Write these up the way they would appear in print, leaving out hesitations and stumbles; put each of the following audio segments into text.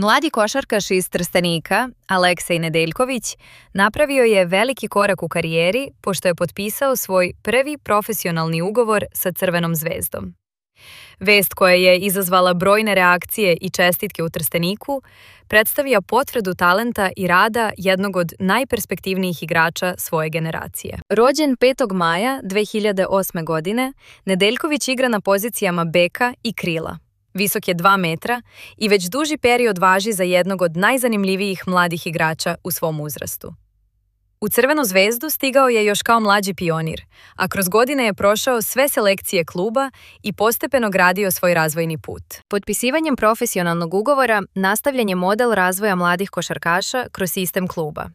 Mladi košarkaš iz Trstenika, Aleksej Nedeljković, napravio je veliki korak u karijeri pošto je potpisao svoj prvi profesionalni ugovor sa Crvenom zvezdom. Vest koja je izazvala brojne reakcije i čestitke u Trsteniku predstavlja potvrdu talenta i rada jednog od najperspektivnijih igrača svoje generacije. Rođen 5. maja 2008. godine, Nedeljković igra na pozicijama beka i krila. Visok je 2 metra i već duži period važi za jednog od najzanimljivijih mladih igrača u svom uzrastu. U Crvenu zvezdu stigao je još kao mlađi pionir, a kroz godine je prošao sve selekcije kluba i postepeno gradio svoj razvojni put. Potpisivanjem profesionalnog ugovora nastavljen je model razvoja mladih košarkaša kroz sistem kluba,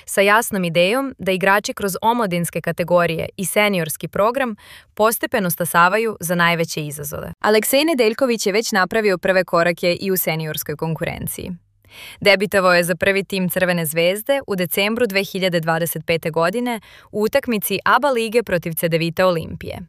sa jasnom idejom da igrači kroz omladinske kategorije i seniorski program postepeno stasavaju za najveće izazove. Aleksej Nedeljković je već napravio prve korake i u seniorskoj konkurenciji. Debitovao je za prvi tim Crvene zvezde u decembru 2025. godine u utakmici ABA lige protiv Cedevita Olimpije,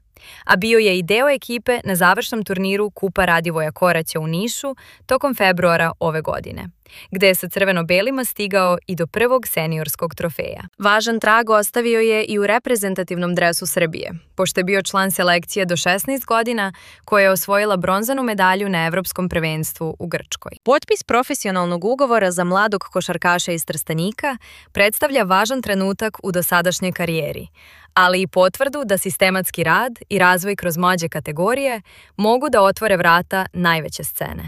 a bio je i deo ekipe na završnom turniru Kupa Radivoja Koraća u Nišu tokom februara ove godine, gde je sa crveno-belima stigao i do prvog seniorskog trofeja. Važan trag ostavio je i u reprezentativnom dresu Srbije, pošto je bio član selekcije do 16 godina koja je osvojila bronzanu medalju na Evropskom prvenstvu u Grčkoj. Potpis profesionalnog ugovora za mladog košarkaša iz Trstenika predstavlja važan trenutak u dosadašnjoj karijeri, ali i potvrdu da sistematski rad i razvoj kroz mlađe kategorije mogu da otvore vrata najveće scene.